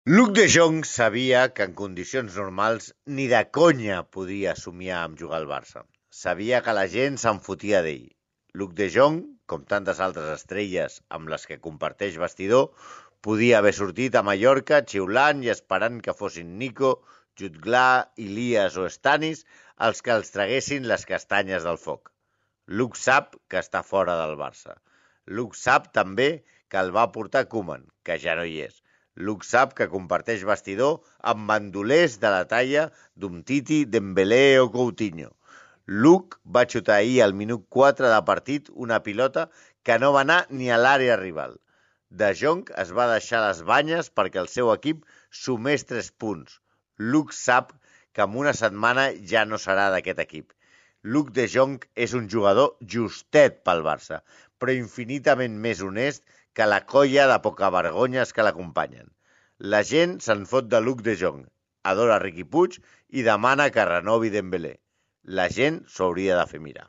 Luc de Jong sabia que en condicions normals ni de conya podia somiar amb jugar al Barça. Sabia que la gent se'n fotia d'ell. Luc de Jong, com tantes altres estrelles amb les que comparteix vestidor, podia haver sortit a Mallorca xiulant i esperant que fossin Nico, Jutgla, Ilias o Stanis els que els traguessin les castanyes del foc. Luc sap que està fora del Barça. Luc sap també que el va portar Koeman, que ja no hi és. Luc sap que comparteix vestidor amb bandolers de la talla d'Umtiti, Dembélé o Coutinho. Luc va xutar ahir al minut 4 de partit una pilota que no va anar ni a l'àrea rival. De Jong es va deixar les banyes perquè el seu equip sumés 3 punts. Luc sap que en una setmana ja no serà d'aquest equip. Luc de Jong és un jugador justet pel Barça, però infinitament més honest que la colla de pocavergonyes que l'acompanyen. La gent se'n fot de Luc de Jong, adora Riqui Puig i demana que renovi Dembélé. La gent s'ho hauria de fer mirar.